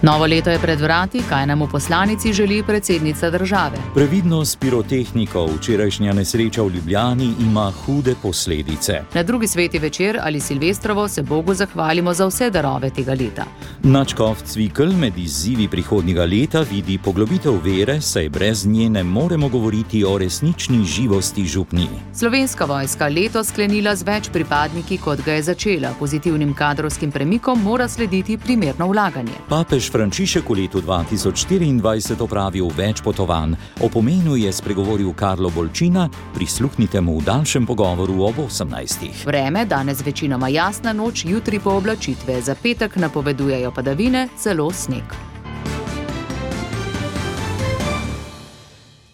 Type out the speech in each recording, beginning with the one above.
Novo leto je pred vrati, kaj nam v poslanici želi predsednica države. Previdnost pirotehnikov, včerajšnja nesreča v Ljubljani ima hude posledice. Na drugi sveti večer ali Silvestrovo se Bogu zahvalimo za vse darove tega leta. Nadškof Cvikl med izzivi prihodnjega leta vidi poglobitev vere, saj brez nje ne moremo govoriti o resnični živosti župniji. Slovenska vojska letos sklenila z več pripadniki, kot ga je začela. Pozitivnim kadrovskim premikom mora slediti primerno vlaganje. Papež Frančišek v letu 2024 opravil več potovanj. O pomenu je spregovoril Karlo Bolčina, prisluhnite mu v daljšem pogovoru ob 18. Vreme danes večinoma jasna, noč jutri pooblačitve. Za petek napovedujejo padavine, celo sneg.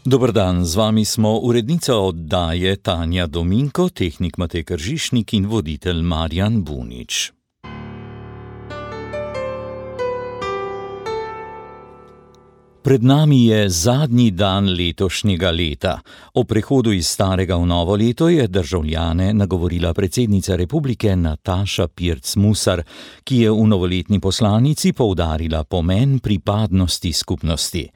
Dober dan, z vami smo urednica oddaje Tanja Dominko, tehnik Matej Kržišnik in voditelj Marjan Bunič. Pred nami je zadnji dan letošnjega leta. O prehodu iz starega v novo leto je državljane nagovorila predsednica republike Nataša Pirc Musar, ki je v novoletni poslanici poudarila pomen pripadnosti skupnosti.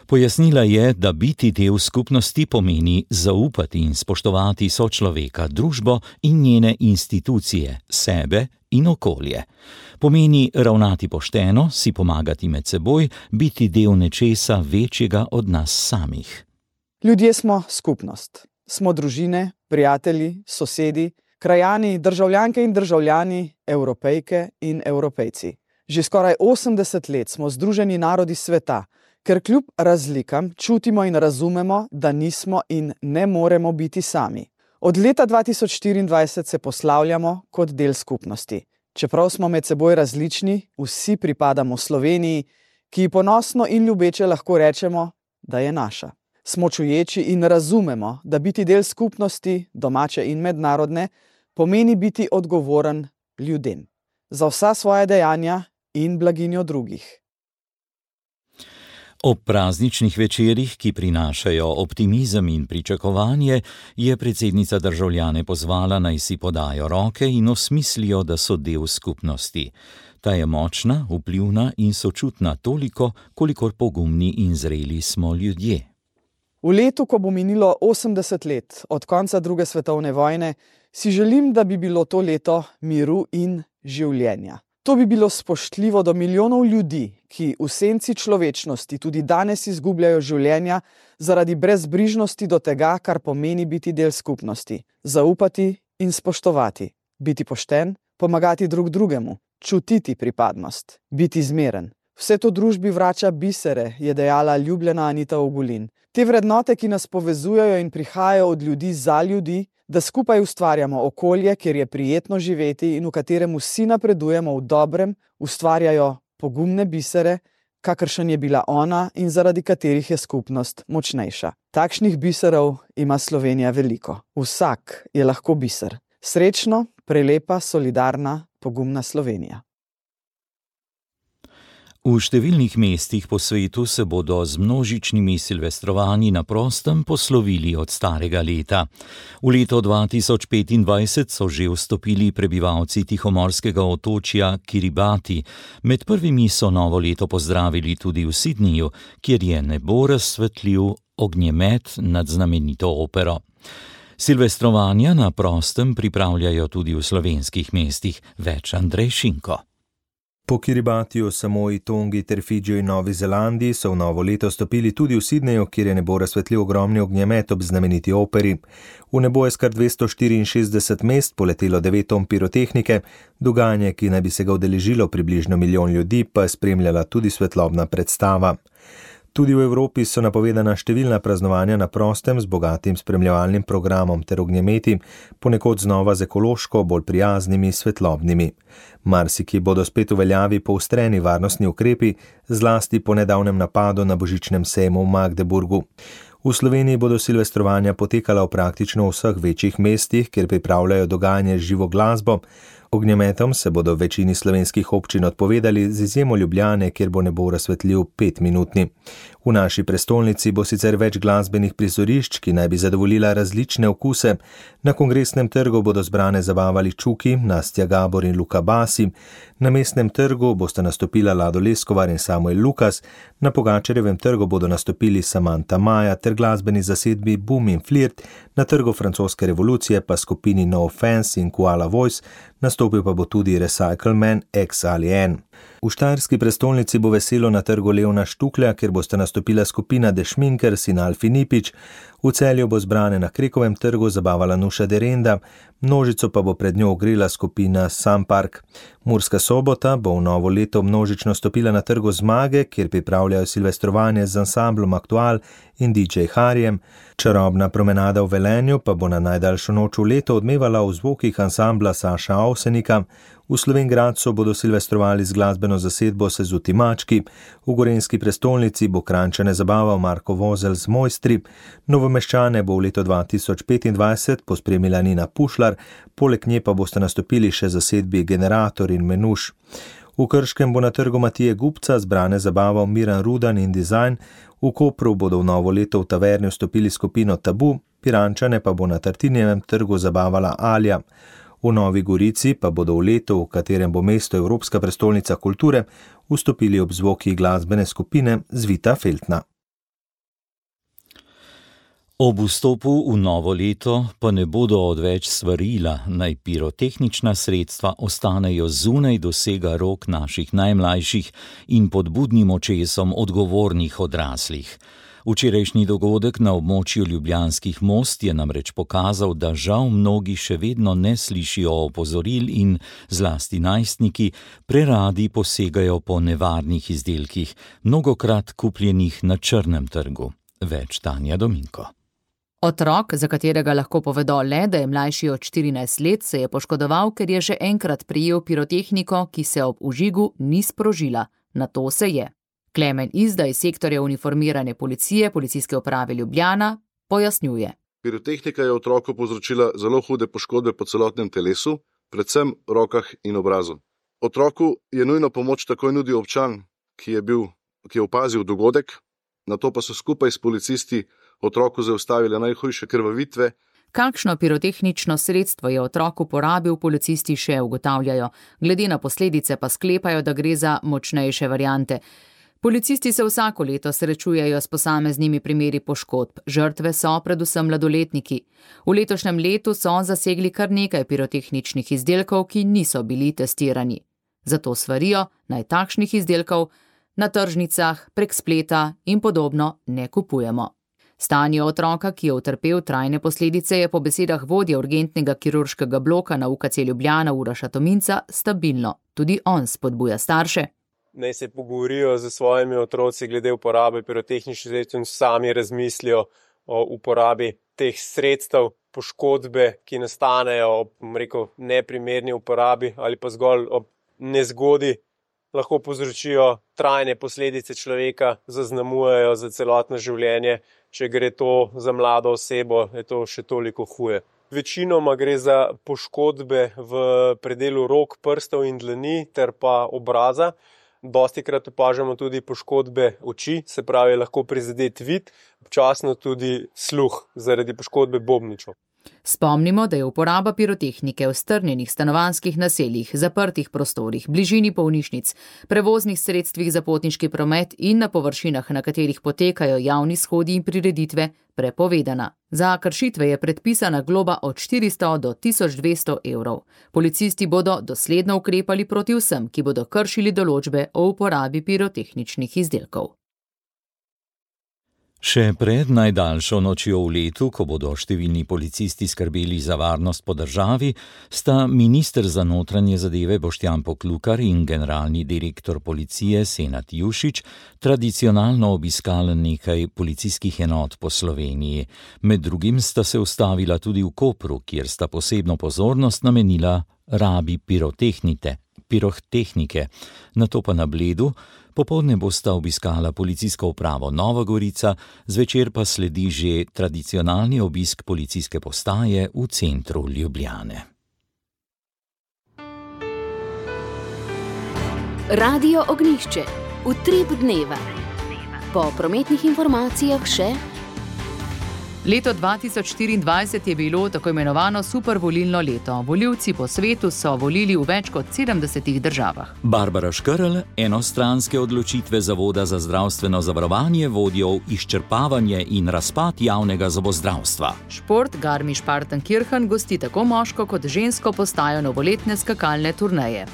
Pojasnila je, da biti del skupnosti pomeni zaupati in spoštovati sočloveka, družbo in njene institucije, sebe in okolje. Pomeni ravnati pošteno, si pomagati med seboj, biti del nečesa večjega od nas samih. Ljudje smo skupnost. Smo družine, prijatelji, sosedi, krajani, državljanke in državljani, Evropejke in Evropejci. Že skoraj 80 let smo združeni narodi sveta, ker kljub razlikam čutimo in razumemo, da nismo in ne moremo biti sami. Od leta 2024 se poslavljamo kot del skupnosti. Čeprav smo med seboj različni, vsi pripadamo Sloveniji, ki ji ponosno in ljubeče lahko rečemo, da je naša. Smo čuječi in razumemo, da biti del skupnosti, domače in mednarodne, pomeni biti odgovoren ljudem. Za vsa svoja dejanja in blaginjo drugih. Ob prazničnih večerih, ki prinašajo optimizem in pričakovanje, je predsednica državljane pozvala, naj si podajo roke in osmislijo, da so del skupnosti. Ta je močna, vplivna in sočutna toliko, kolikor pogumni in zreli smo ljudje. V letu, ko bo minilo 80 let od konca druge svetovne vojne, si želim, da bi bilo to leto miru in življenja. To bi bilo spoštljivo do milijonov ljudi, ki v senci človečnosti tudi danes izgubljajo življenja zaradi brezbrižnosti do tega, kar pomeni biti del skupnosti. Zaupati in spoštovati, biti pošten, pomagati drug drugemu, čutiti pripadnost, biti zmeren. Vse to družbi vrača bisere, je dejala ljubljena Anita Ogulin. Te vrednote, ki nas povezujejo in prihajajo od ljudi za ljudi, da skupaj ustvarjamo okolje, kjer je prijetno živeti in v katerem vsi napredujemo v dobrem, ustvarjajo pogumne bisere, kakršen je bila ona in zaradi katerih je skupnost močnejša. Takšnih biserov ima Slovenija veliko. Vsak je lahko biser. Srečno, prelepa, solidarna, pogumna Slovenija. V številnih mestih po svetu se bodo z množičnimi silvestrovanji na prostem poslovili od starega leta. V leto 2025 so že vstopili prebivalci tihomorskega otočja Kiribati. Med prvimi so novo leto pozdravili tudi v Sydneyju, kjer je nebo razsvetlil ognjemet nad znamenito opero. Silvestrovanja na prostem pripravljajo tudi v slovenskih mestih. Več Andrej Šinko. Po Kiribatiju, Samoi, Tongi ter Fidžiju in Novi Zelandiji so v novo leto stopili tudi v Sydneyju, kjer je nebo razsvetlil ogromni ognjemet ob znameniti operi. V nebo je s kar 264 mest poletelo 9 ton pirotehnike, dogajanje, ki naj bi se ga udeležilo približno 1 milijon ljudi, pa je spremljala tudi svetlobna predstava. Tudi v Evropi so napovedana številna praznovanja na prostem z bogatim spremljevalnim programom ter ognjemeti, ponekod znova z ekološko, bolj prijaznimi, svetlobnimi. Marsikje bodo spet v veljavi poostreni varnostni ukrepi, zlasti po nedavnem napadu na božičnem sejmu v Magdeburgu. V Sloveniji bodo silvestrovanja potekala v praktično vseh večjih mestih, kjer pripravljajo dogajanje z živo glasbo. Ognjemetom se bodo v večini slovenskih občin odpovedali, z izjemo Ljubljane, kjer bo nebo razsvetljiv 5-minutni. V naši prestolnici bo sicer več glasbenih prizorišč, ki naj bi zadovoljila različne okuse. Na Kongresnem trgu bodo zbrane zabavali Čuki, Nastja Gabor in Luka Basi. Na Mestnem trgu bosta nastopila Lado Leskovar in Samuel Lukas. Na Pogačarjevem trgu bodo nastopili Samantha Maja ter glasbeni zasedbi Boom in Flirt. Na trgu francoske revolucije pa skupini No Offense in Koala Voice. Nastopil pa bo tudi Recycle Man X ali N. V štajerski prestolnici bo veselo na trgu Levna Štuklja, kjer bosta nastopila skupina The Schminkers in Alfi Nipič. V Celju bo zbrane na Krekovem trgu zabavala Nuša Derenda, množico pa bo pred njo ogrela skupina Sam Park. Murska Sobota bo v novo leto množično stopila na trgu Zmage, kjer pripravljajo silvestrovanje z ansamblom Aktual in DJ Harjem. Čarobna promenada v Velenju pa bo na najdaljšo noč v leto odmevala v zvokih ansambla Saša Avsenika. V Slovenj Gradcu bodo silvestrovali z glasbeno zasedbo Sezuti Mački, v gorenjski prestolnici bo Kranjčane zabaval Marko Vozelj z Mojstri, Novomeščane bo v leto 2025 pospremila Nina Pušlar, poleg nje pa boste nastopili še zasedbi Generator in Menuš. V Krškem bo na trgu Matije Gubca zbrane zabaval Miran Rudan in Design, v Kopru bodo v novo leto v taverni vstopili skupino Tabu, Pirančane pa bo na Tartinijevem trgu zabavala Alja. V Novi Gorici pa bodo v letu, v katerem bo mesto Evropska prestolnica kulture, vstopili ob zvoki glasbene skupine Zvita Feltna. Ob vstopu v novo leto pa ne bodo odveč svarila, naj pirotehnična sredstva ostanejo zunaj dosega rok naših najmlajših in pod budnim očesom odgovornih odraslih. Včerajšnji dogodek na območju Ljubljanskih most je namreč pokazal, da žal mnogi še vedno ne slišijo opozoril in zlasti najstniki preradi posegajo po nevarnih izdelkih, mnogokrat kupljenih na črnem trgu. Več Tanja Dominko. Otrok, za katerega lahko povedo le, da je mlajši od 14 let, se je poškodoval, ker je že enkrat prijel pirotehniko, ki se ob vžigu ni sprožila. Na to se je. Klemen Izda iz sektorja uniformirane policije Policijske uprave Ljubljana pojasnjuje. Pirotehnika je otroku povzročila zelo hude poškodbe po celotnem telesu, predvsem rokah in obrazu. Otroku je nujno pomoč takoj nudil občan, ki je opazil dogodek, nato pa so skupaj s policisti otroku zaustavili najhujše krvavitve. Kakšno pirotehnično sredstvo je otrok uporabil, policisti še ugotavljajo, glede na posledice pa sklepajo, da gre za močnejše variante. Policisti se vsako leto srečujejo s posameznimi primeri poškodb. Žrtve so predvsem mladoletniki. V letošnjem letu so zasegli kar nekaj pirotehničnih izdelkov, ki niso bili testirani. Zato svarijo, naj takšnih izdelkov na tržnicah, prek spleta in podobno ne kupujemo. Stanje otroka, ki je utrpel trajne posledice, je po besedah vodje urgentnega kirurškega bloka na UKC Ljubljana Uroša Tominca stabilno. Tudi on spodbuja starše. Naj se pogovorijo z svojimi otroci glede uporabe pirotehničnih sredstev in sami razmislijo o uporabi teh sredstev. Poškodbe, ki nastanejo ob neprimerni uporabi ali pa zgolj ob nezgodi, lahko povzročijo trajne posledice človeka, zaznamujejo za celotno življenje. Če gre to za mlado osebo, je to še toliko huje. Večinoma gre za poškodbe v predelu rok, prstov in dlani ter pa obraza. Dostikrat opažamo tudi poškodbe oči, se pravi lahko prizadet vid, občasno tudi sluh zaradi poškodbe bobničev. Spomnimo, da je uporaba pirotehnike v strnjenih stanovanjskih naseljih, zaprtih prostorih, bližini bolnišnic, prevoznih sredstvih za potniški promet in na površinah, na katerih potekajo javni shodi in prireditve, prepovedana. Za kršitve je predpisana globa od 400 do 1200 evrov. Policisti bodo dosledno ukrepali proti vsem, ki bodo kršili določbe o uporabi pirotehničnih izdelkov. Še pred najdaljšo nočjo v letu, ko bodo številni policisti skrbeli za varnost po državi, sta minister za notranje zadeve Boštjan Poklukar in generalni direktor policije Senad Jušić tradicionalno obiskali nekaj policijskih enot po Sloveniji. Med drugim sta se ustavila tudi v Kopru, kjer sta posebno pozornost namenila rabi pirotehnike, nato pa na Bledu. Popoldne bosta obiskala policijsko upravo Nova Gorica, zvečer pa sledi že tradicionalni obisk policijske postaje v centru Ljubljane. Radio Ognjišče, utrip dneva. Po prometnih informacijah še... Leto 2024 je bilo tako imenovano supervolilno leto. Volivci po svetu so volili v več kot 70 državah. Barbara Škrl, enostranske odločitve Zavoda za zdravstveno zavarovanje vodijo v izčrpavanje in razpad javnega zobozdravstva. Šport Garmisch-Partenkirchen gosti tako moško kot žensko postajo novoletne skakalne turneje.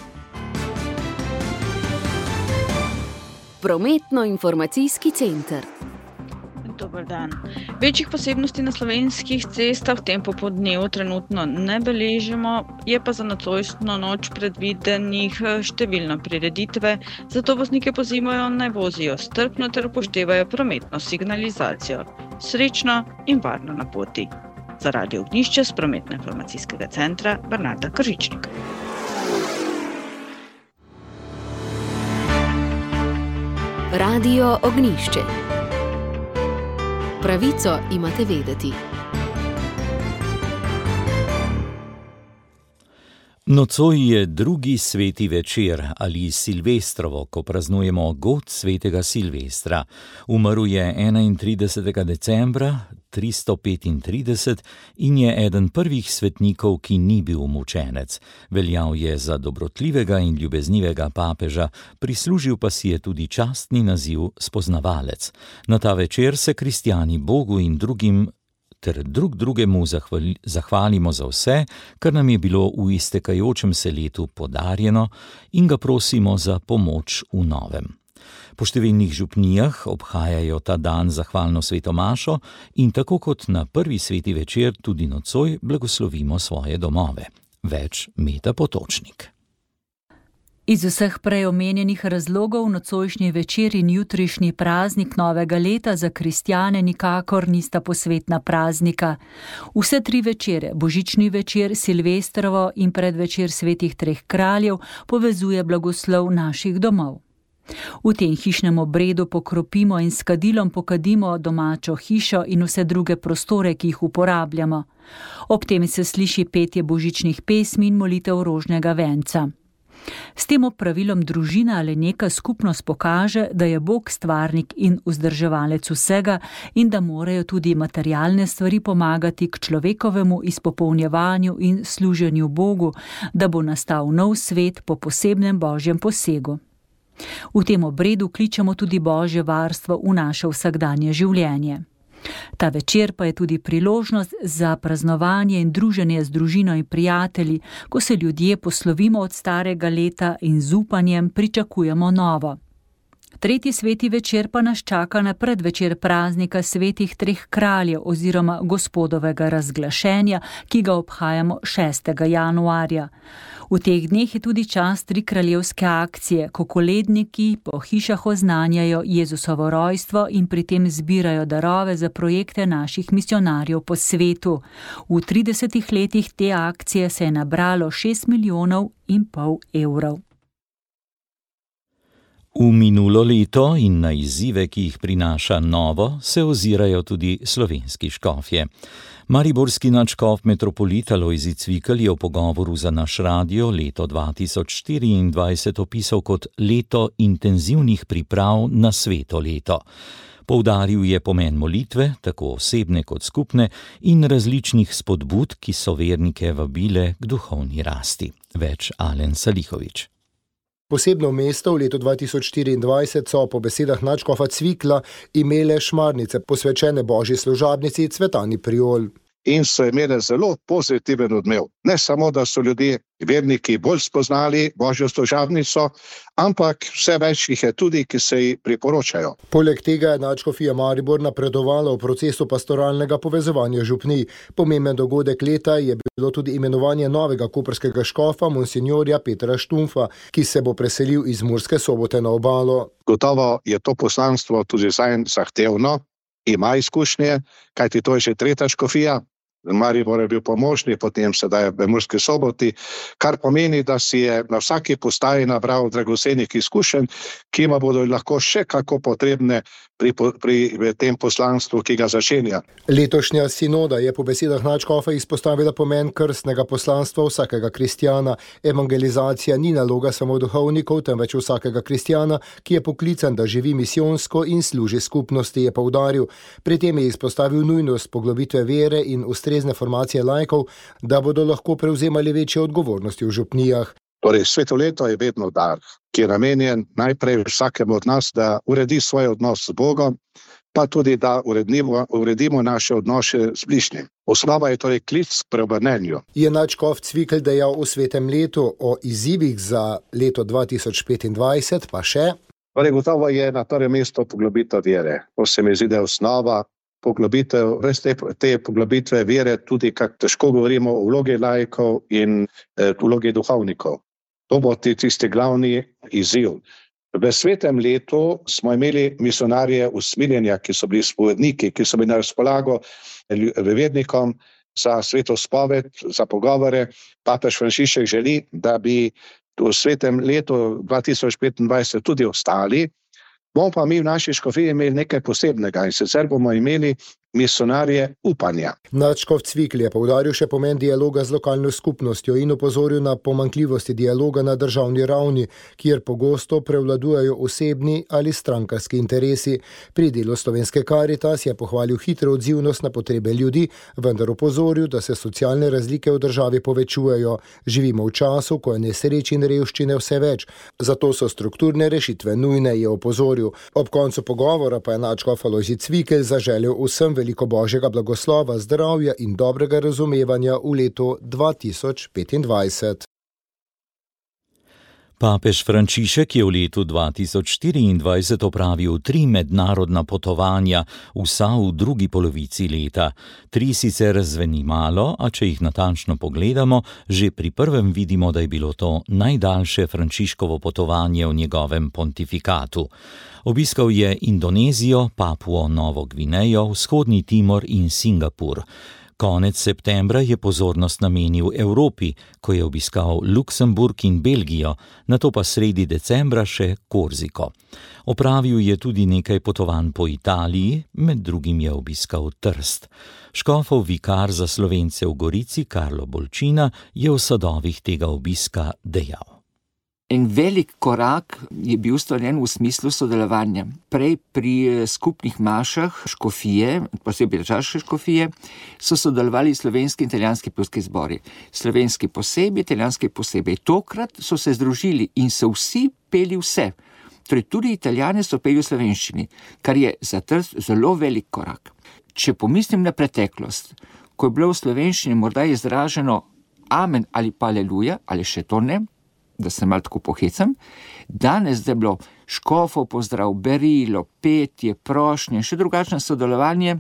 Prometno-informacijski center. Dober dan. Večjih posebnosti na slovenskih cestah v tem popoldnevu trenutno ne beležimo, je pa za nocojšnjo noč predvidenih številne prireditve, zato voznike pozivajo naj vozijo strpno ter upoštevajo prometno signalizacijo. Srečno in varno na poti. Za Radio Ognjišče s prometno-informacijskega centra Bernarda Kržičnik. Radio Ognjišče. Pravico imate vedeti. Nocoj je drugi sveti večer ali Silvestrovo, ko praznujemo god svetega Silvestra. Umrl je 31. decembra 335 in je eden prvih svetnikov, ki ni bil mučenec. Veljal je za dobrotljivega in ljubeznivega papeža, prislužil pa si je tudi častni naziv spoznavalec. Na ta večer se kristjani Bogu in drugim ter drugemu zahvalimo za vse, kar nam je bilo v iztekajočem se letu podarjeno in ga prosimo za pomoč v novem. Po številnih župnijah obhajajo ta dan zahvalno sveto mašo in tako kot na prvi sveti večer tudi nocoj blagoslovimo svoje domove. Več Meta Potočnik. Iz vseh prej omenjenih razlogov nocojšnji večer in jutrišnji praznik novega leta za kristjane nikakor nista posvetna praznika. Vse tri večere, božični večer, Silvestrovo in predvečer svetih treh kraljev, povezuje blagoslov naših domov. V tem hišnem obredu pokropimo in s kadilom pokadimo domačo hišo in vse druge prostore, ki jih uporabljamo. Ob tem se sliši petje božičnih pesmi in molitev rožnega venca. S tem opravilom družina ali neka skupnost pokaže, da je Bog stvarnik in vzdrževalec vsega in da morajo tudi materialne stvari pomagati k človekovemu izpopolnjevanju in služenju Bogu, da bo nastal nov svet po posebnem božjem posegu. V tem obredu kličemo tudi božje varstvo v naše vsakdanje življenje. Ta večer pa je tudi priložnost za praznovanje in druženje z družino in prijatelji, ko se ljudje poslovimo od starega leta in z upanjem pričakujemo novo. Tretji sveti večer pa nas čaka na predvečer praznika svetih treh kraljev oziroma gospodovega razglašenja, ki ga obhajamo 6. januarja. V teh dneh je tudi čas tri kraljevske akcije, ko koledniki po hišah oznanjajo Jezusovo rojstvo in pri tem zbirajo darove za projekte naših misionarjev po svetu. V 30 letih te akcije se je nabralo 6,5 milijona evrov. V minulo leto in na izzive, ki jih prinaša novo, se ozirajo tudi slovenski škofje. Mariborski nadškof metropolit Alojzij Cvikl je v pogovoru za naš radio leto 2024 opisal kot leto intenzivnih priprav na sveto leto. Poudaril je pomen molitve, tako osebne kot skupne, in različnih spodbud, ki so vernike vabile k duhovni rasti. Več Alen Salihović. Posebno mesto v letu 2024 so po besedah nadškofa Cvikla imele šmarnice, posvečene božji služabnici Cvetani Priol. In so imele zelo pozitiven odmev. Ne samo, da so ljudje, verniki, bolj spoznali božjo služabnico, ampak vse več jih je tudi, ki se ji priporočajo. Poleg tega je nadškofija Maribor napredovala v procesu pastoralnega povezovanja župnij. Pomemben dogodek leta je bilo tudi imenovanje novega koprskega škofa monsinjorja Petra Štumfa, ki se bo preselil iz Murske Sobote na obalo. Gotovo je to poslanstvo tudi zahtevno, ima izkušnje, kajti to je že tretja škofija. Maribor je bil pomožni, potem sedaj v Murski Soboti, kar pomeni, da si je na vsaki postaji nabral dragocenih izkušenj, ki ima bodo lahko še kako potrebne pri tem poslanstvu, ki ga začenja. Letošnja sinoda je po besedah nadškofa izpostavila pomen krstnega poslanstva vsakega kristjana. Evangelizacija ni naloga samo duhovnikov, temveč vsakega kristjana, ki je poklican, da živi misijonsko in služi skupnosti, je poudaril. Pri tem je izpostavil nujnost poglobitve vere in ustrezne formacije laikov, da bodo lahko prevzemali večje odgovornosti v župnijah. Torej, svetoleto je vedno dar, ki je namenjen najprej vsakemu od nas, da uredi svoj odnos z Bogom, pa tudi da uredimo naše odnose z bližnjim. Osnova je torej klic k preobrnenju. Je nadškof Cvikl dejal v svetem letu o izzivih za leto 2025, pa še? Torej, gotovo je na prvem mestu poglobitev vere. To se mi zdi, da je osnova. Poglobitev, res te poglobitve vere, tudi kako težko govorimo o vlogi laikov in vlogi duhovnikov. To bo tisti glavni izziv. V svetem letu smo imeli misionarje usmiljenja, ki so bili spovedniki, ki so bili na razpolago vernikom za sveto spoved, za pogovore. Papež Frančišek želi, da bi v svetem letu 2025 tudi ostali. Bomo pa mi v naši škofiji imeli nekaj posebnega in sicer bomo imeli misionarje upanja. Nadškof Cvikl je poudaril še pomen dialoga z lokalno skupnostjo in opozoril na pomanjkljivosti dialoga na državni ravni, kjer pogosto prevladujejo osebni ali strankarski interesi. Pri delu Slovenske Karitas je pohvalil hitro odzivnost na potrebe ljudi, vendar opozoril, da se socialne razlike v državi povečujejo. Živimo v času, ko je nesreč in revščine vse več, zato so strukturne rešitve nujne, je opozoril. Ob koncu pogovora pa je nadškof Alojzij Cvikl zaželel vsem veliko božjega blagoslova, zdravja in dobrega razumevanja v letu 2025. Papež Frančišek je v letu 2024 opravil 3 mednarodna potovanja, vsa v drugi polovici leta. 3 sicer zveni malo, a če jih natančno pogledamo, že pri prvem vidimo, da je bilo to najdaljše Frančiškovo potovanje v njegovem pontifikatu. Obiskal je Indonezijo, Papuo Novo Gvinejo, Vzhodni Timor in Singapur. Konec septembra je pozornost namenil Evropi, ko je obiskal Luksemburg in Belgijo, nato pa sredi decembra še Korziko. Opravil je tudi nekaj potovanj po Italiji, med drugim je obiskal Trst. Škofov vikar za Slovence v Gorici, Karlo Bolčina, je v sadovih tega obiska dejal. En velik korak je bil storjen v smislu sodelovanja. Prej pri skupnih mašah škofije, posebej državne škofije, so sodelovali slovenski in italijanski pevski zbori. Slovenski posebej, italijanski posebej. Tokrat so se združili in so vsi peli vse. Torej tudi Italijani so peli v slovenščini, kar je za Trst zelo velik korak. Če pomislim na preteklost, ko je bilo v slovenščini morda izraženo amen ali pa aleluja, ali še to ne, da se malo tako pohecam, danes da je bilo škofov pozdrav, berilo, petje, prošnje, še drugačno sodelovanje,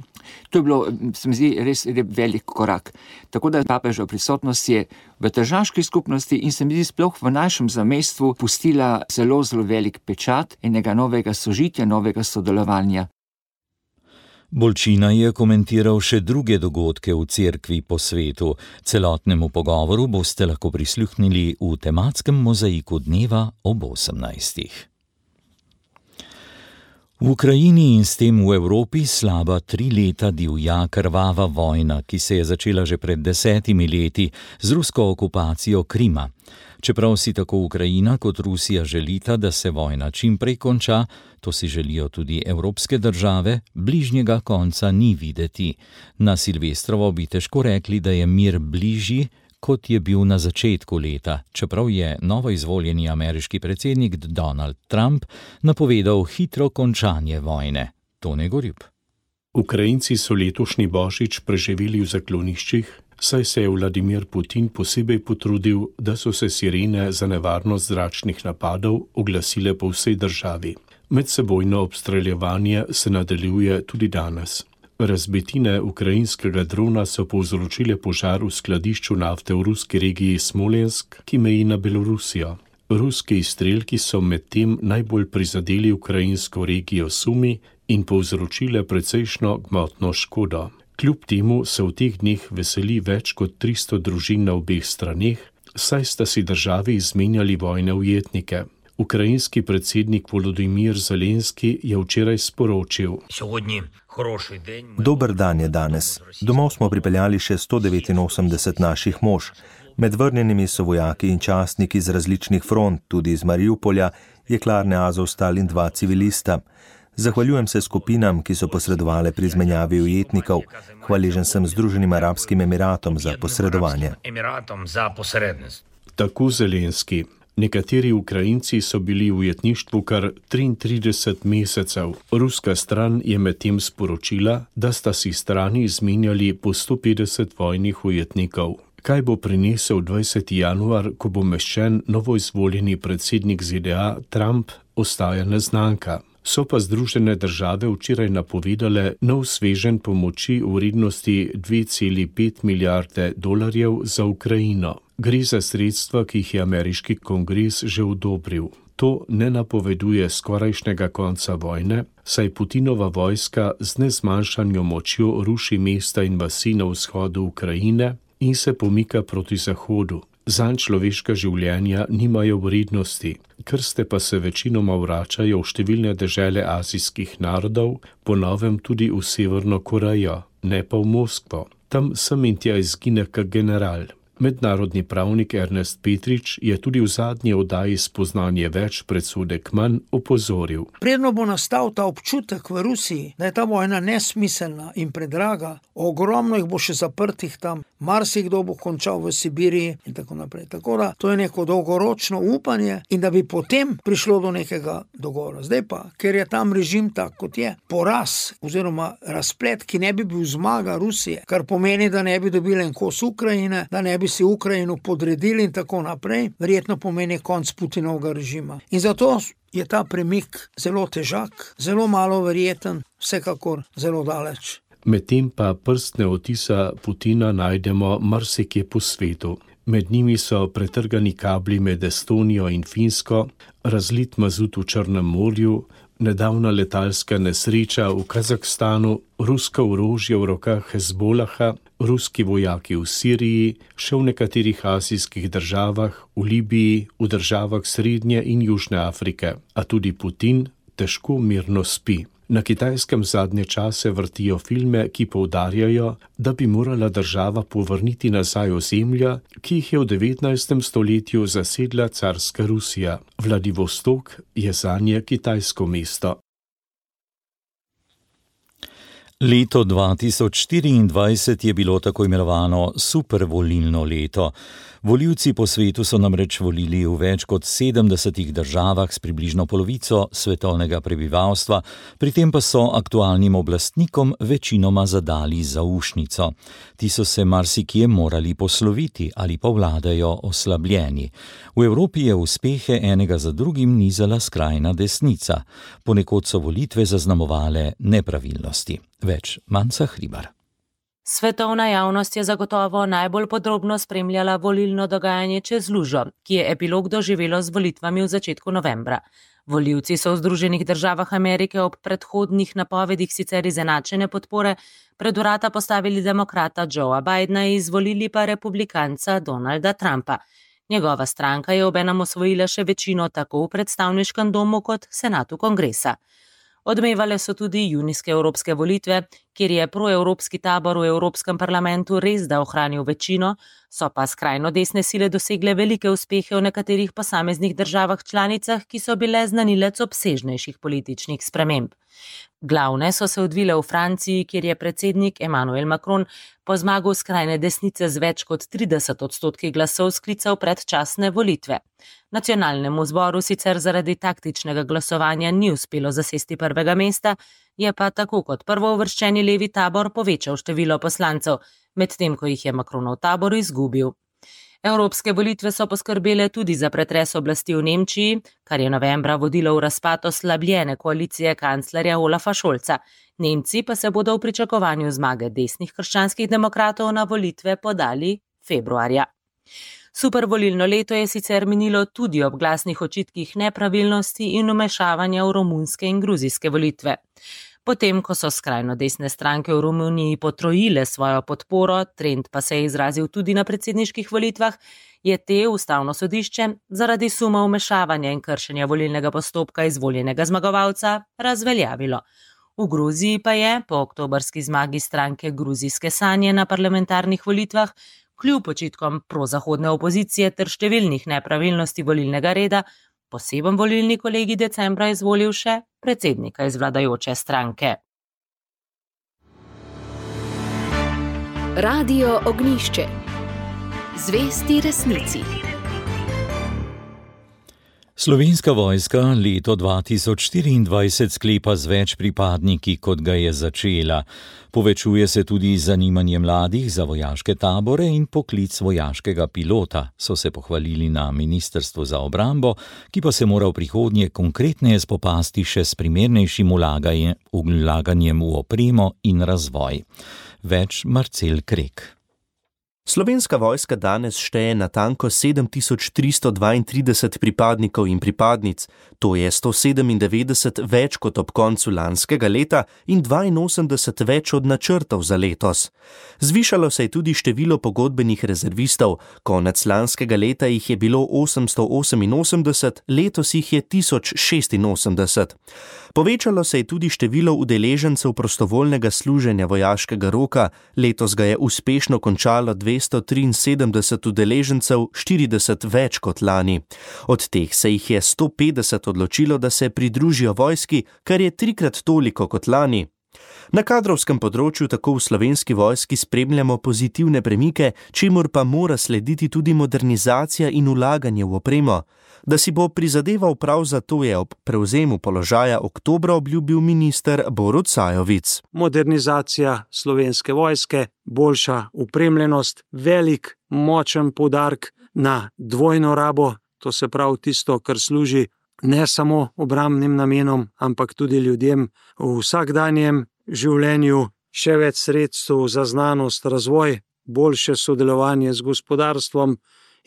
to je bilo, se mi zdi, res velik korak. Tako da papeževa prisotnost je v tržaški skupnosti in se mi zdi sploh v našem zamejstvu pustila zelo, zelo velik pečat enega novega sožitja, novega sodelovanja. Bolčina je komentiral še druge dogodke v cerkvi po svetu. Celotnemu pogovoru boste lahko prisluhnili v tematskem mozaiku dneva ob 18. V Ukrajini in s tem v Evropi slaba 3 leta divja krvava vojna, ki se je začela že pred 10 leti z rusko okupacijo Krima. Čeprav si tako Ukrajina kot Rusija želita, da se vojna čim prej konča, to si želijo tudi evropske države, bližnjega konca ni videti. Na Silvestrovo bi težko rekli, da je mir bližji, kot je bil na začetku leta, čeprav je novoizvoljeni ameriški predsednik Donald Trump napovedal hitro končanje vojne. Tone Gorjup. Ukrajinci so letošnji božič preživeli v zakloniščih, saj se je Vladimir Putin posebej potrudil, da so se sirene za nevarnost zračnih napadov oglasile po vsej državi. Medsebojno obstreljevanje se nadaljuje tudi danes. Razbitine ukrajinskega drona so povzročile požar v skladišču nafte v ruski regiji Smolensk, ki meji na Belorusijo. Ruski izstrelki so medtem najbolj prizadeli ukrajinsko regijo Sumi in povzročile precejšno gmotno škodo. Kljub temu se v teh dneh veseli več kot 300 družin na obeh straneh, saj sta si državi izmenjali vojne ujetnike. Ukrajinski predsednik Volodymyr Zelenski je včeraj sporočil: Dober dan je danes. Domov smo pripeljali še 189 naših mož. Med vrnjenimi so vojaki in častniki z različnih front, tudi iz Mariupolja, Jeklarne Azovstal in 2 civilista. Zahvaljujem se skupinam, ki so posredovale pri izmenjavi ujetnikov. Hvaležen sem Združenim arabskim emiratom za posredovanje. Tako Zelenski. Nekateri Ukrajinci so bili v ujetništvu kar 33 mesecev. Ruska stran je medtem sporočila, da sta si strani izmenjali po 150 vojnih ujetnikov. Kaj bo prinesel 20. januar, ko bo meščen novoizvoljeni predsednik ZDA Trump, ostaja neznanka. So pa Združene države včeraj napovedale nov sveženj pomoči v vrednosti 2,5 milijarde dolarjev za Ukrajino. Gre za sredstva, ki jih je ameriški kongres že odobril. To ne napoveduje skorajšnjega konca vojne, saj Putinova vojska z nezmanjšanjo močjo ruši mesta in vasi na vzhodu Ukrajine in se pomika proti zahodu. Zanj človeška življenja nimajo vrednosti, krste pa se večinoma vračajo v številne dežele azijskih narodov, po novem tudi v Severno Korejo, ne pa v Moskvo. Tam sem in tja izgine kak general. Mednarodni pravnik Ernest Petrič je tudi v zadnji oddaji Spoznanje več, predsodek manj opozoril. Predno bo nastal ta občutek v Rusiji, da je ta vojna nesmiselna in predraga, ogromno jih bo še zaprtih tam, marsikdo bo končal v Sibiriji in tako naprej. Tako da to je neko dolgoročno upanje in da bi potem prišlo do nekega dogovora. Zdaj pa, ker je tam režim tak, kot je, poraz oziroma razplet, ki ne bi bil zmaga Rusije, kar pomeni, da ne bi dobili en kos Ukrajine, da ne bi si Ukrajino podredili in tako naprej, verjetno pomeni konc Putinovega režima. In zato je ta premik zelo težak, zelo malo verjeten, vsekakor zelo daleč. Medtem pa prstne odtisa Putina najdemo marsikje po svetu. Med njimi so pretrgani kabli med Estonijo in Finsko, razlit mazut v Črnem morju, nedavna letalska nesreča v Kazahstanu, rusko orožje v rokah Hezbolaha, ruski vojaki v Siriji, še v nekaterih azijskih državah, v Libiji, v državah Srednje in Južne Afrike. A tudi Putin težko mirno spi. Na Kitajskem zadnje čase vrtijo filme, ki poudarjajo, da bi morala država povrniti nazaj ozemlja, ki jih je v 19. stoletju zasedla carska Rusija. Vladivostok je zanje kitajsko mesto. Leto 2024 je bilo tako imenovano supervolilno leto. Volivci po svetu so namreč volili v več kot 70 državah s približno polovico svetovnega prebivalstva, pri tem pa so aktualnim oblastnikom večinoma zadali zaušnico. Ti so se marsikje morali posloviti ali pa vladajo oslabljeni. V Evropi je uspehe enega za drugim nizala skrajna desnica. Ponekod so volitve zaznamovale nepravilnosti. Več Manca Hribar. Svetovna javnost je zagotovo najbolj podrobno spremljala volilno dogajanje čez lužo, ki je epilog doživelo z volitvami v začetku novembra. Volivci so v Združenih državah Amerike ob predhodnih napovedih sicer izenačene podpore pred vrata postavili demokrata Joea Bidena in izvolili pa republikanca Donalda Trumpa. Njegova stranka je obenem osvojila še večino tako v predstavniškem domu kot senatu kongresa. Odmevale so tudi junijske evropske volitve, kjer je proevropski tabor v Evropskem parlamentu res da ohranil večino, so pa skrajno desne sile dosegle velike uspehe v nekaterih posameznih državah članicah, ki so bile znanilec obsežnejših političnih sprememb. Glavne so se odvile v Franciji, kjer je predsednik Emmanuel Macron po zmagu skrajne desnice z več kot 30% glasov sklical predčasne volitve. Nacionalnemu zboru sicer zaradi taktičnega glasovanja ni uspelo zasesti prvega mesta, je pa tako kot prvouvrščeni levi tabor povečal število poslancev, medtem ko jih je Macronov tabor izgubil. Evropske volitve so poskrbele tudi za pretres oblasti v Nemčiji, kar je novembra vodilo v razpad oslabljene koalicije kanclerja Olafa Scholza. Nemci pa se bodo v pričakovanju zmage desnih krščanskih demokratov na volitve podali februarja. Supervolilno leto je sicer minilo tudi ob glasnih očitkih nepravilnosti in vmešavanja v romunske in gruzijske volitve. Potem, ko so skrajno desne stranke v Romuniji potrojile svojo podporo, trend pa se je izrazil tudi na predsedniških volitvah, je te ustavno sodišče zaradi suma vmešavanja in kršenja volilnega postopka izvoljenega zmagovalca razveljavilo. V Gruziji pa je, po oktobrski zmagi stranke Gruzijske sanje na parlamentarnih volitvah, kljub očitkom prozahodne opozicije ter številnih nepravilnosti volilnega reda, poseben volilni kolegij decembra izvolil še predsednika iz vladajoče stranke. Radio Ognjišče. Zvesti resnici. Slovenska vojska leto 2024 sklepa z več pripadniki, kot ga je začela. Povečuje se tudi zanimanje mladih za vojaške tabore in poklic vojaškega pilota, so se pohvalili na Ministrstvu za obrambo, ki pa se mora v prihodnje konkretneje spopasti še s primernejšim vlaganjem v opremo in razvoj. Več Marcel Krek. Slovenska vojska danes šteje natanko 7332 pripadnikov in pripadnic, to je 197 več kot ob koncu lanskega leta in 82 več od načrtov za letos. Zvišalo se je tudi število pogodbenih rezervistov, konec lanskega leta jih je bilo 888, letos jih je 1086. Povečalo se je tudi število udeležencev prostovoljnega služenja vojaškega roka, letos ga je uspešno končalo 273 udeležencev, 40 več kot lani. Od teh se jih je 150 odločilo, da se pridružijo vojski, kar je 3krat toliko kot lani. Na kadrovskem področju tako v Slovenski vojski spremljamo pozitivne premike, čemur pa mora slediti tudi modernizacija in vlaganje v opremo. Da si bo prizadeval prav za to, je ob prevzemu položaja oktobra obljubil minister Borut Sajovic. Modernizacija Slovenske vojske, boljša opremljenost, velik, močen poudarek na dvojno rabo, to se pravi tisto, kar služi ne samo obrambnim namenom, ampak tudi ljudem v vsakdanjem življenju, še več sredstev za znanost, razvoj, boljše sodelovanje z gospodarstvom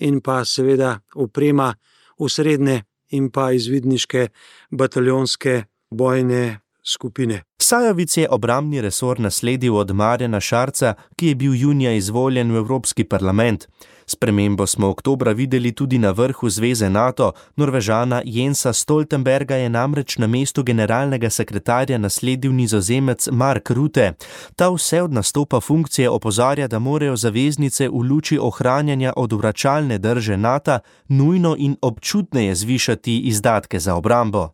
in pa seveda oprema v srednje in pa izvidniške bataljonske bojne skupine. Sajovic je obrambni resor nasledil od Marjana Šarca, ki je bil junija izvoljen v Evropski parlament. Spremembo smo oktobra videli tudi na vrhu Zveze NATO. Norvežana Jensa Stoltenberga je namreč na mestu generalnega sekretarja nasledil Nizozemec Mark Rutte. Ta vse od nastopa funkcije opozarja, da morajo zaveznice v luči ohranjanja odvračalne drže NATO nujno in občutneje zvišati izdatke za obrambo.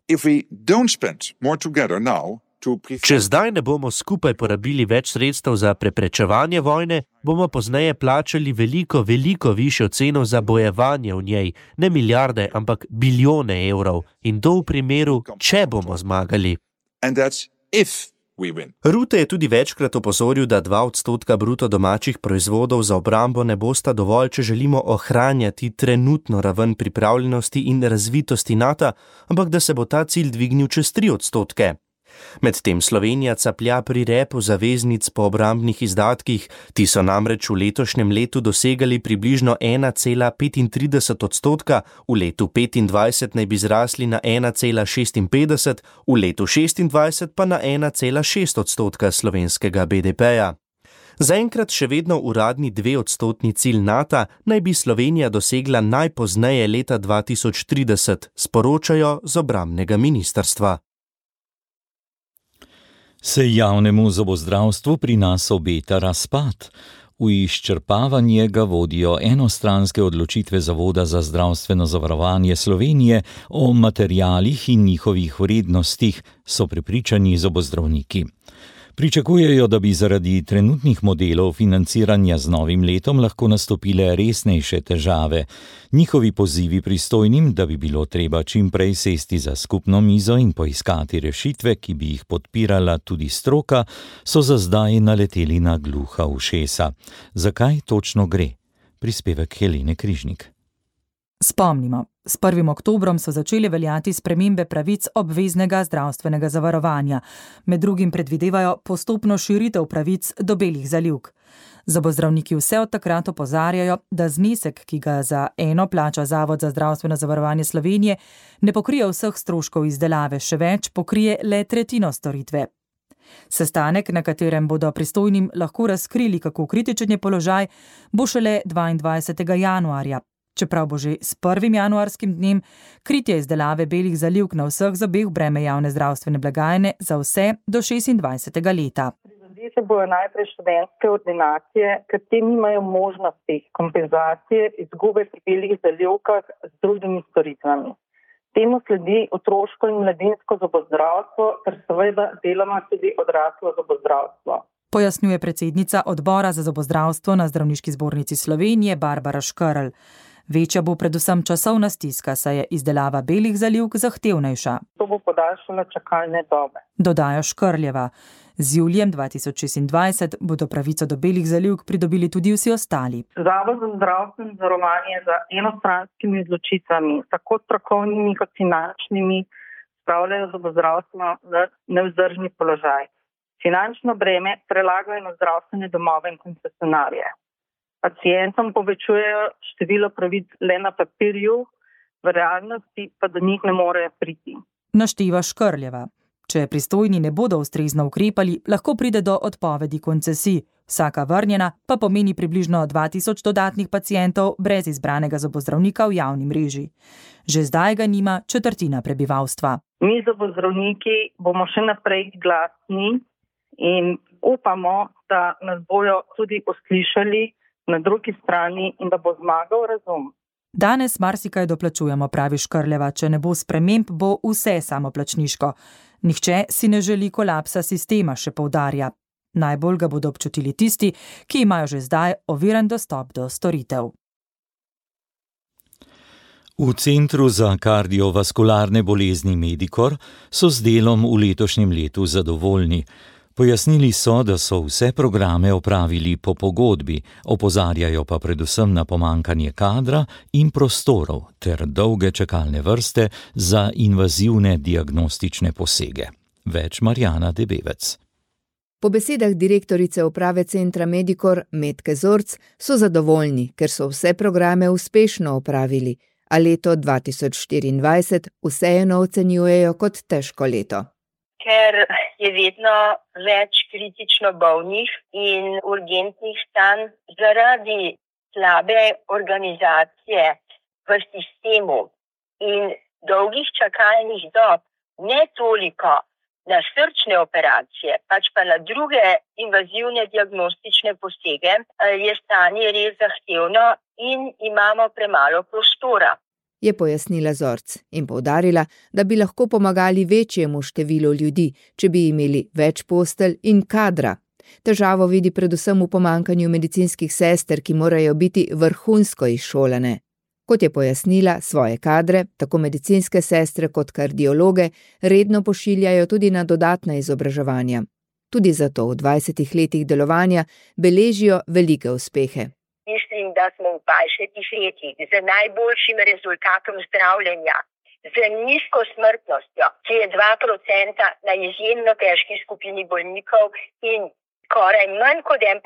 Če zdaj ne bomo skupaj porabili več sredstev za preprečevanje vojne, bomo pozneje plačali veliko višjo ceno za bojevanje v njej, ne milijarde, ampak bilijone evrov. In to v primeru, če bomo zmagali. Rutte je tudi večkrat opozoril, da 2% bruto domačih proizvodov za obrambo ne bosta dovolj, če želimo ohranjati trenutno raven pripravljenosti in razvitosti NATO, ampak da se bo ta cilj dvignil čez 3%. Medtem Slovenija caplja pri repu zaveznic po obrambnih izdatkih, ti so namreč v letošnjem letu dosegali približno 1,35%, v letu 2025 naj bi zrasli na 1,56%, v letu 2026 pa na 1,6% slovenskega BDP-ja. Zaenkrat še vedno uradni 2% cilj NATO naj bi Slovenija dosegla najpozneje leta 2030, sporočajo z obrambnega ministrstva. Se javnemu zobozdravstvu pri nas obeta razpad. V izčrpavanje ga vodijo enostranske odločitve Zavoda za zdravstveno zavarovanje Slovenije o materialih in njihovih vrednostih, so prepričani zobozdravniki. Pričakujejo, da bi zaradi trenutnih modelov financiranja z novim letom lahko nastopile resnejše težave. Njihovi pozivi pristojnim, da bi bilo treba čim prej sesti za skupno mizo in poiskati rešitve, ki bi jih podpirala tudi stroka, so za zdaj naleteli na gluha ušesa. Zakaj točno gre? Prispevek Helene Križnik. Spomnimo, s 1. oktobrom so začele veljati spremembe pravic obveznega zdravstvenega zavarovanja. Med drugim predvidevajo postopno širitev pravic do belih zalivk. Zobozdravniki vse od takrat opozarjajo, da znesek, ki ga za eno plača Zavod za zdravstveno zavarovanje Slovenije, ne pokrije vseh stroškov izdelave, še več pokrije le tretjino storitve. Sestanek, na katerem bodo pristojnim lahko razkrili, kako kritičen je položaj, bo šele 22. januarja. Čeprav bo že s 1. januarskim dnem kritje izdelave belih zalivk na vseh zobeh breme javne zdravstvene blagajne za vse do 26. leta. Se bojo najprej študentske ordinacije, ker te nimajo možnosti kompenzacije izgube pri belih zalivkah z drugimi storitvami. Temu sledi otroško in mladinsko zobozdravstvo, ter seveda deloma tudi odraslo zobozdravstvo. Pojasnjuje predsednica odbora za zobozdravstvo na Zdravniški zbornici Slovenije Barbara Škerl. Večja bo predvsem časovna stiska, saj je izdelava belih zalivk zahtevnejša. To bo podaljšalo čakalne dobe. Dodaja Škrljeva. Z julijem 2026 bodo pravico do belih zalivk pridobili tudi vsi ostali. Zavod za zdravstveno zavarovanje za enostranskimi odločitvami, tako strokovnimi kot finančnimi, spravljajo zobozdravstvo v nevzdržni položaj. Finančno breme prelagajo na zdravstvene domove in koncesionarje. Pacientom povečujejo število pravic le na papirju, v realnosti pa do njih ne morejo priti. Našteva Škrljeva. Če pristojni ne bodo ustrezno ukrepali, lahko pride do odpovedi koncesij. Vsaka vrnjena pa pomeni približno 2000 dodatnih pacientov brez izbranega zobozdravnika v javni mreži. Že zdaj ga nima četrtina prebivalstva. Mi zobozdravniki bomo še naprej glasni in upamo, da nas bojo tudi uslišali na drugi strani in da bo zmagal razum. Danes marsikaj doplačujemo, pravi Škrljeva, če ne bo sprememb, bo vse samoplačniško. Nihče si ne želi kolapsa sistema, še poudarja. Najbolj ga bodo občutili tisti, ki imajo že zdaj oviran dostop do storitev. V Centru za kardiovaskularne bolezni Medikor so z delom v letošnjem letu zadovoljni. Pojasnili so, da so vse programe opravili po pogodbi, opozarjajo pa predvsem na pomankanje kadra in prostorov ter dolge čakalne vrste za invazivne diagnostične posege. Več Marjana Debevec. Po besedah direktorice uprave Centra Medikor Metke Zorc so zadovoljni, ker so vse programe uspešno opravili, a leto 2024 vseeno ocenjujejo kot težko leto. Ker je vedno več kritično bolnih in urgentnih stanj zaradi slabe organizacije v sistemu in dolgih čakalnih dob, ne toliko na srčne operacije, pač pa na druge invazivne diagnostične posege, je stanje res zahtevno in imamo premalo prostora. Je pojasnila Zorc in poudarila, da bi lahko pomagali večjemu številu ljudi, če bi imeli več postelj in kadra. Težavo vidi predvsem v pomankanju medicinskih sester, ki morajo biti vrhunsko izšolane. Kot je pojasnila, svoje kadre, tako medicinske sestre kot kardiologe, redno pošiljajo tudi na dodatna izobraževanja. Tudi zato v 20 letih delovanja beležijo velike uspehe. Mislim, da smo v 20 letih z najboljšim rezultatom zdravljenja, z nizko smrtnostjo, ki je 2% na izjemno težki skupini bolnikov in skoraj manj kot 1%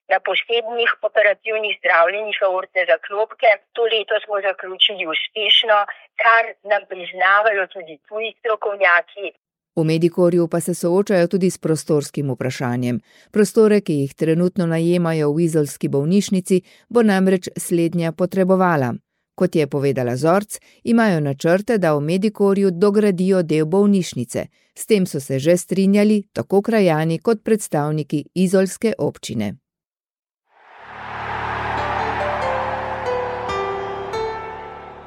na posebnih operativnih zdravljenjih aortne zaklopke. To leto smo zaključili uspešno, kar nam priznavajo tudi tuji strokovnjaki. V Medikorju pa se soočajo tudi s prostorskim vprašanjem. Prostore, ki jih trenutno najemajo v izolski bolnišnici, bo namreč slednja potrebovala. Kot je povedala Zorc, imajo načrte, da v Medikorju dogradijo del bolnišnice. S tem so se že strinjali tako krajani kot predstavniki izolske občine.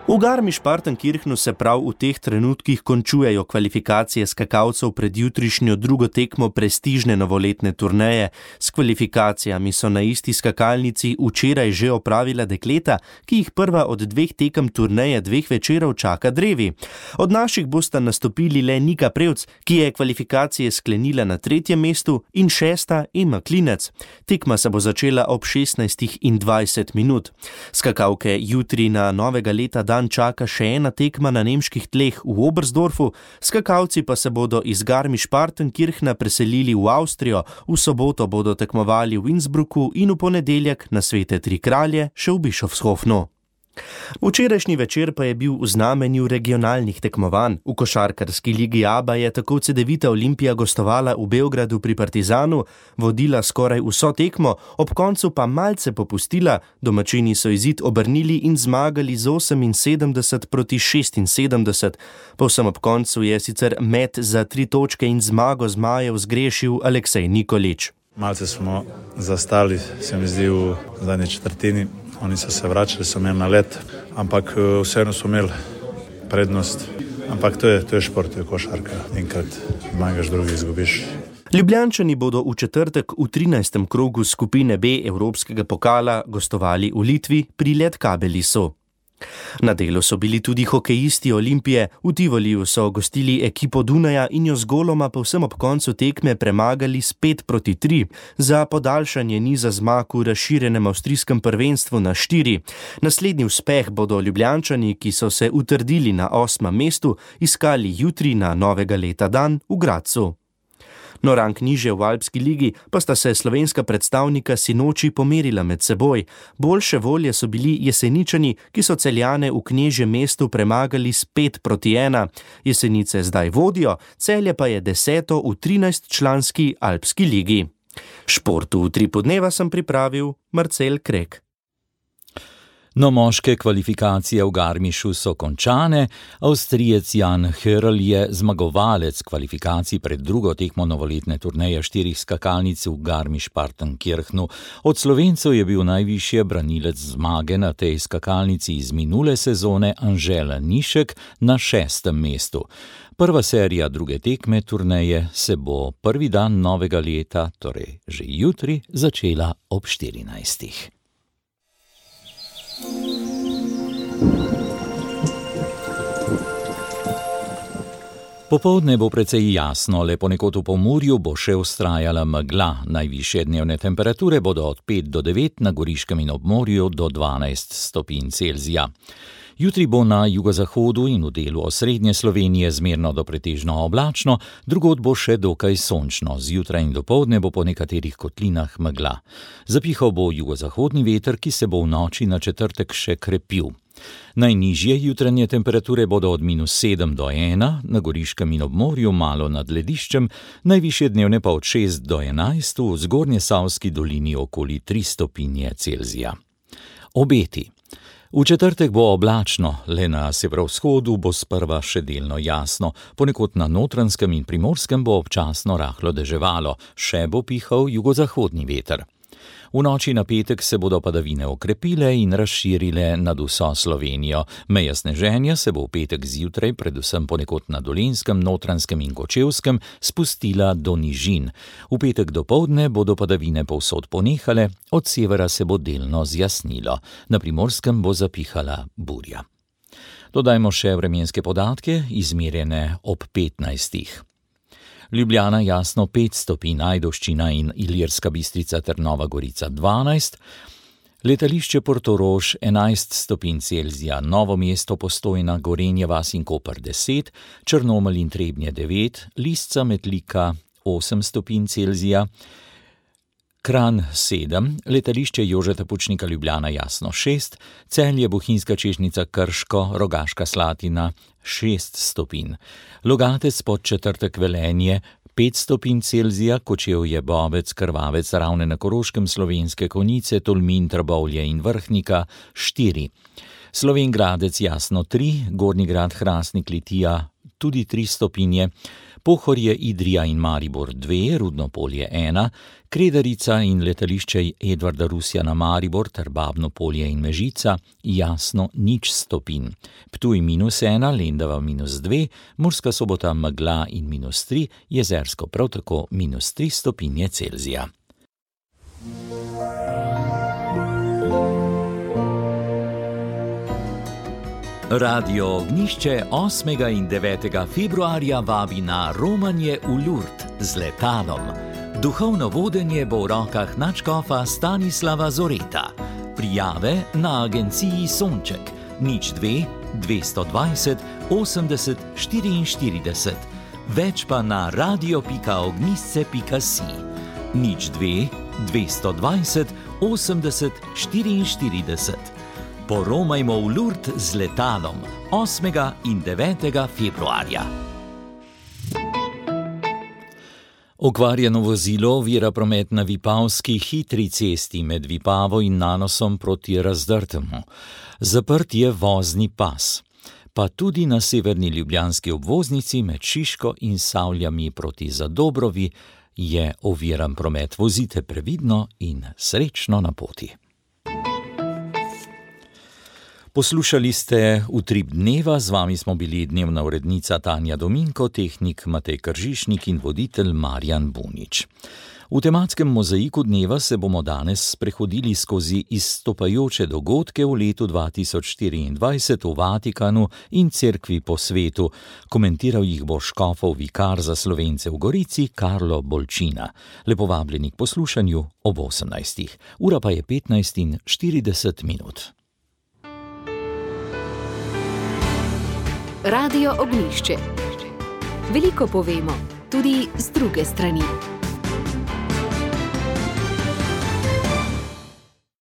V Garmisch-Partenkirchnu se prav v teh trenutkih končujejo kvalifikacije skakalcev pred jutrišnjo drugo tekmo prestižne novoletne turneje. S kvalifikacijami so na isti skakalnici včeraj že opravila dekleta, ki jih prva od 2 tekem turneje 2 večerov čaka drevi. Od naših bosta nastopili le Nika Prevc, ki je kvalifikacije sklenila na 3. mestu, in 6. Ema Klinec. Tekma se bo začela ob 16:20. Skakalke jutri na novega leta dan čaka še ena tekma na nemških tleh v Oberstdorfu, skakalci pa se bodo iz Garmisch-Partenkirchna preselili v Avstrijo, v soboto bodo tekmovali v Innsbrucku in v ponedeljek na Svete tri kralje še v Bischofshofnu. Včerajšnji večer pa je bil v znamenju regionalnih tekmovanj. V košarkarski ligi ABA je tako Cedevita Olimpija gostovala v Beogradu pri Partizanu, vodila skoraj vso tekmo, ob koncu pa malce popustila, domačini so izid obrnili in zmagali z 78 proti 76. Povsem ob koncu je sicer met za 3 točke in zmago zmajev zgrešil Aleksej Nikolić. Malce smo zastali, se mi zdi, v zadnji četrtini. Oni so se vračali, so imeli nalet, ampak vseeno so imeli prednost. Ampak to je šport, to je košarka. Enkrat zmagaš, drugi izgubiš. Ljubljančani bodo v četrtek v 13. krogu skupine B Evropskega pokala gostovali v Litvi pri Lietkabelisu. Na delu so bili tudi hokejisti Olimpije, v Tivoliju so gostili ekipo Dunaja in jo z goloma povsem ob koncu tekme premagali s 5-3 za podaljšanje niza zmag v razširjenem avstrijskem prvenstvu na 4. Naslednji uspeh bodo Ljubljančani, ki so se utrdili na 8. mestu, iskali jutri na novega leta dan v Gradcu. No, rang nižje v Alpski ligi pa sta se slovenska predstavnika sinoči pomerila med seboj. Boljše volje so bili Jeseničani, ki so Celjane v Knežjem mestu premagali s 5-1. Jesenice zdaj vodijo, Celje pa je 10. v 13-članski Alpski ligi. Športu v 3 podneva sem pripravil Marcel Krek. No, moške kvalifikacije v Garmišu so končane. Avstrijec Jan Hörl je zmagovalec kvalifikacij pred drugo tekmo novoletne turneje 4 skakalnic v Garmisch-Partenkirchnu. Od Slovencev je bil najvišje branilec zmage na tej skakalnici iz minule sezone Anžel Nišek na 6. mestu. Prva serija druge tekme turneje se bo prvi dan novega leta, torej že jutri, začela ob 14. Popoldne bo precej jasno, le ponekod v Pomurju bo še vztrajala megla. Najvišje dnevne temperature bodo od 5 do 9, na Goriškem in obmorju do 12 stopinj Celzija. Jutri bo na jugozahodu in v delu osrednje Slovenije zmerno do pretežno oblačno, drugod bo še dokaj sončno. Zjutraj in dopoldne bo po nekaterih kotlinah megla. Zapihal bo jugozahodni veter, ki se bo v noči na četrtek še krepil. Najnižje jutranje temperature bodo od -7 do 1, na Goriškem in obmorju malo nad lediščem, najvišje dnevne pa od 6 do 11, v Zgornjesavski dolini okoli 3 stopinje Celzija. Obeti. V četrtek bo oblačno, le na severovzhodu bo sprva še delno jasno, ponekod na Notranjskem in Primorskem bo občasno rahlo deževalo, še bo pihal jugozahodni veter. V noči na petek se bodo padavine okrepile in razširile nad vso Slovenijo. Meja sneženja se bo v petek zjutraj, predvsem ponekod na Dolenjskem, Notranjskem in Kočevskem, spustila do nižin. V petek dopoldne bodo padavine povsod ponehale, od severa se bo delno zjasnilo. Na Primorskem bo zapihala burja. Dodajmo še vremenske podatke, izmerjene ob 15. Ljubljana jasno 5 stopinj, Ajdovščina in Ilirska Bistrica ter Nova Gorica 12, letališče Portorož 11 stopinj Celzija, Novo mesto, Postojna, Gorenje vas in Koper 10, Črnomelj in Trebnje 9, Lisca, Metlika 8 stopinj Celzija, Kranj 7, letališče Jožeta Pučnika Ljubljana jasno 6, Celje, Bohinjska Čežnica, Krško, Rogaška Slatina 6 stopinj, Logatec, Podčetrtek, Velenje 5 stopinj Celzija, Kočevje, Bovec, Krvavec, Ravne na Koroškem, Slovenske Konjice, Tolmin, Trbovlje in Vrhnika 4, Slovenj Gradec jasno 3, Gornji Grad, Hrastnik, Litija tudi 3 stopinje, Pohorje, Idrija in Maribor 2, Rudno Polje 1, Kredarica in letališče Edvarda Rusjana Maribor ter Babno Polje in Mežica jasno 0 stopinj. Ptuj -1, Lendava -2, Murska Sobota megla in -3, Jezersko prav tako -3 stopinje Celzija. Radio Ognjišče 8. in 9. februarja vabi na romanje v Lourdes z letalom. Duhovno vodenje bo v rokah nadškofa Stanislava Zoreta. Prijave na agenciji Sonček 02 220 80 44, več pa na radio.ognjisce.si 02 220 80 44. Poromajmo v Lourdes z letalom 8. in 9. februarja. Okvarjeno vozilo ovira promet na Vipavski hitri cesti med Vipavo in Nanosom proti Razdrtemu. Zaprt je vozni pas. Pa tudi na severni ljubljanski obvoznici med Šiško in Savljami proti Zadobrovi je oviran promet. Vozite previdno in srečno na poti. Poslušali ste Utrip dneva, z vami smo bili dnevna urednica Tanja Dominko, tehnik Matej Kržišnik in voditelj Marjan Bunič. V tematskem mozaiku dneva se bomo danes sprehodili skozi izstopajoče dogodke v letu 2024 v Vatikanu in cerkvi po svetu. Komentiral jih bo škofov vikar za Slovence v Gorici Karlo Bolčina. Lepo vabljeni k poslušanju ob 18. Ura pa je 15:40. Radio Ognjišče. Veliko povemo, tudi z druge strani.